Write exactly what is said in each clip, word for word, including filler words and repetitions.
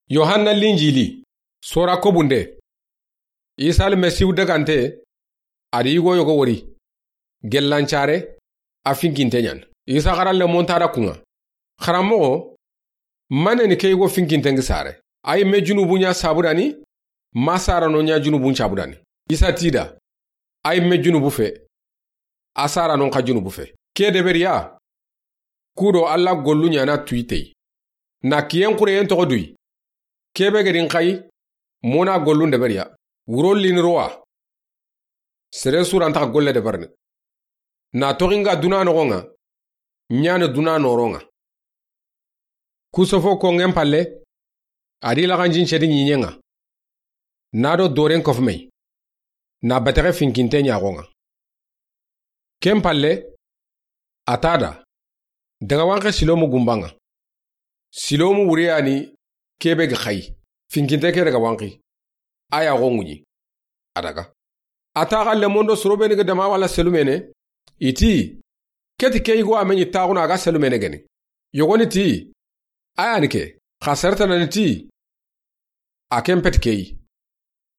Yohanna Linjili, sora kobunde. Isa Almasihu dagante, a di yigo yogo wori. Gellancare, a finkinte ɲan. Isa xaralle monta da kuŋa. Xaranmoxo, mane ni ke yigo finkinten gi sare? A yi me junubu ɲa sabudani, ma sarano ɲa junubun cabudani? Isa ti da, a yi me junubu fe, a saranon xa junubu fe. Ke deberiya, kudo Alla gollu ɲana tuyitey. Na kiyen xureyen toxo duyi. Kebe gedin xayi, mona gollun deberiya. Wuro lini rowa. Sere surantaxa golle deberni. Na toxinga duna noxonŋa, ɲani duna noronŋa. Kusofo konŋen palle, a di laxanjin cedi ɲiɲenŋa. Na do doren kofumey. Na betexe finkinte ɲaxonŋa. Ken palle, a ta da, daga wanxe silomu gumbanŋa. Silomu wuriyani kebe gi xayi, finkinte ke daga wanxi. A yaxo ŋuɲi. A daga. A taxa lemondo sorobeni ga dama wala selumene. I ti, keti ke yigo a me ɲi taxuna a ga selumene geni. Yogoni ti, a yani ke, xa sertanani ti, a ken peti keyi.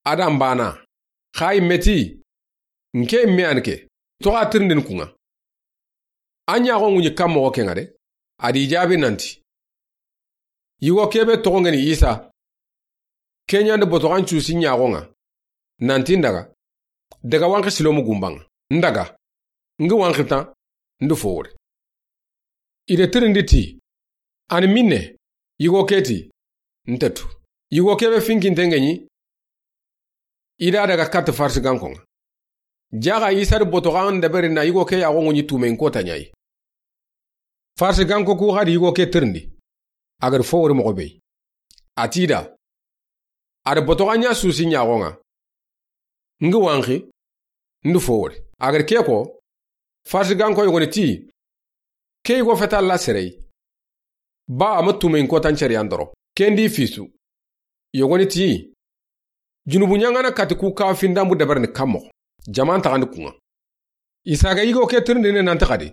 A da n bana, xa yi me ti, n ke me yani ke, toxa tirindini kuŋa. A ɲaxo ŋuɲi kan moxo kenŋa de, a di jabi nanti, yigo kebe toxo ngeni Isa. Ke ɲandi botoxan cusi ɲaxonŋa. Nanti n daga, daga wanxi silomu gumbanŋa. N daga, n gi wanxi tan, n di fo wori. I de tirindi ti, ani minne, yigo ke ti, n tetu. Yigo kebe finkinten ŋeɲi, i da daga katti Farisigankonŋa. Jaxa Isa di botoxan deberi na yigo ke yaxo ŋuɲi tumeyin kota ɲayi. Farisiganko ku xa di yigo ke tirindi. A gadi fo wori moxo be yi. A ti da, a di botoxan ɲa susi ɲaxonŋa. N gi wanxi, n di fo wori. A gadi ke ko, Farisiganko yogoni ti, ke yigo feta Alla sereyi. Ba a ma tumeyin kotan cariyan doro. Ken di fisu. Yogoni ti, junubu ɲaŋana kati ku ka findambu deberni kan moxo. Jaman taxandi kuŋa. Isa ga yigo ke tirindini nanti xadi,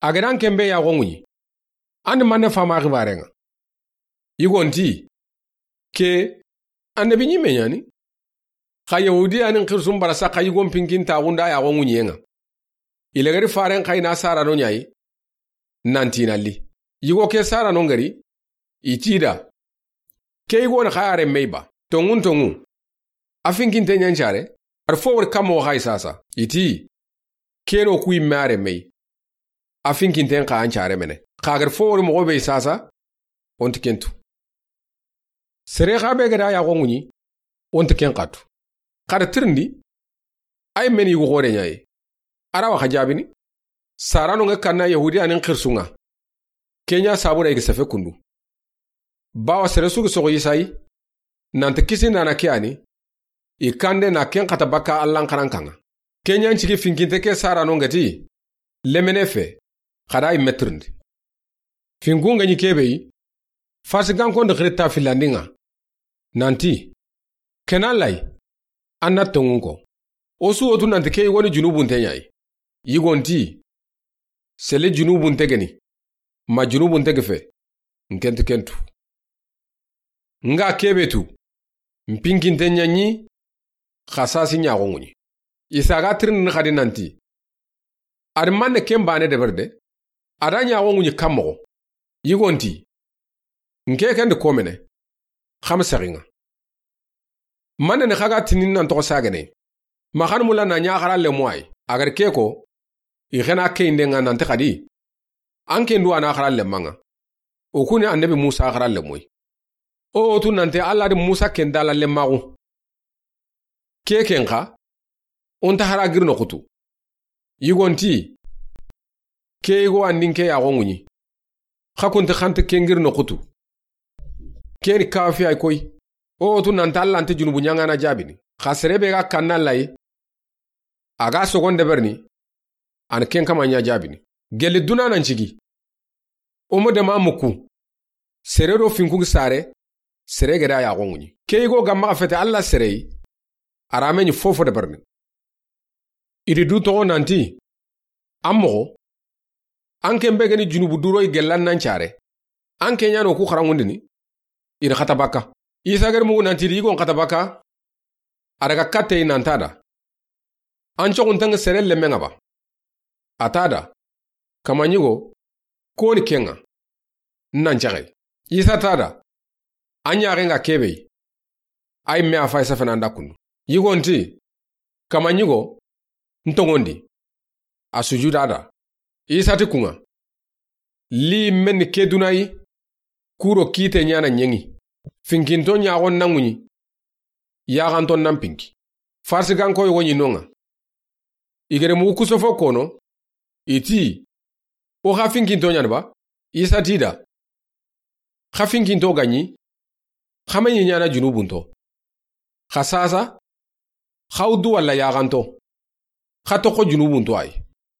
a ga dan ken be yaxo ŋuɲi, an di manne fama xibarenŋa? Yigon ti, ke annabi ɲimme ɲani. Xa Yahudiyanin xirisun bara saxa yigon pinkintaxunda yaxo ŋuɲiyenŋa. I lagari faren xayi na sarano ɲayi. Nanti na li. Yigo ke sarano ngari. I ti da, ke yigo ni xa yare mey ba? Tonŋun tonŋu, a finkinte ɲancare. A di fo wori kan moxo xayi sasa? I ti, keno ku yimme are mey. A finkinten xa an care mene. Xa gadi fo wori moxo be yi sasa, o nti kentu. Sere xa be gada yaxo ŋuɲi, o nti ken xatu. Xa da tirindi, a yi meni yigu xore ɲayi. A ra wa xa jabini. Sarano ŋe kanna Yahudiyanin xirisunŋa. Ke ɲa sabu da i ga sefe kundu. Bawa sere su gi soxo Isa yi, nanti kisi nana ke yani, i kande na ken xata bakka Allan xarankanŋa. Ke ɲan cigi finkinte ke sarano ŋeti, lemene fe, xa da i metirindi. Finkun ga ɲi kebe yi, Farisigankon di xiritta fillandinŋa. Nanti, kena lay, an na tonŋun ko. O su wotu nanti ke yigoni junubunte ɲayi. Yigon ti, sele junubunte geni, ma junubunte ge fe, n kenti kentu. Nga kebe tu, n pinkinte ɲaɲi, xa sasi ɲaxo ŋuɲi. Isa ga tirindini xadi nanti, a di manne ken bane deberi de, a da ɲaxo ŋuɲi kan moxo. Yigon ti, n ke kendi komene, xa ma sexinŋa. Manne ni xa ga tinin nan toxo sagene, ma xan mula na ɲaxara lemo ayi, a gadi ke ko, i xena keyinden ŋa nanti xadi, an ken du a na xara lemmanŋa. O kuni annabi Musa xara lemoyi. O wotu nanti Alla di Musa ken dala lemmaxu. Ke ken xa, o nta xara giri noxu tu. Yigon ti, ke yigo an di n ke yaxo ŋuɲi. Xa kunti xanti ken giri noxu tu. Keni kafi ay koy. O wotu nanti Alla nti junubu ɲaŋana jabini. Xa sere be ga kanna lay, a ga sogon deberini, an ken kama ɲa jabini. Gelli duna nan cigi. O mo dema muku. Sere do finkun sare, sere gada yaxo ŋuɲi. Ke yigo ga maxa fete Alla sere yi, a ra me ɲi fofo deberini. I di du toxo nanti, an moxo, an ken be geni junubu duro i gellan nan care. An ke ɲano ku xaranŋundini. I da xata bakka. Isa gere mugu nanti i da yigon xata bakka. A daga katte i nan ti a da, an coxuntaŋa sere lemmen ŋa ba? A ti a da, kama ɲigo, koni ken ŋa, n nan caxe. Isa ti a da, an ɲaxen ŋa kebe yi. A yi me a fay safana nda kundu. Yigon ti, kama ɲigo, n toŋondi. A sujuda a da. Isa ti kun ŋa, li men ke duna yi, kuro kite ɲana ɲeŋi. Finkinto ɲaxon na ŋuɲi, yaxanto nan pinki. Farsiganko yogo ɲi no ŋa. I gere mugu kusofo kono, i ti, o xa finkinto ɲana ba? Isa ti i da, xa finkinto ga ɲi, xa me ɲi ɲana junubunto. Xa sasa, xa wuddu walla yaxanto, xa toxo junubunto a yi.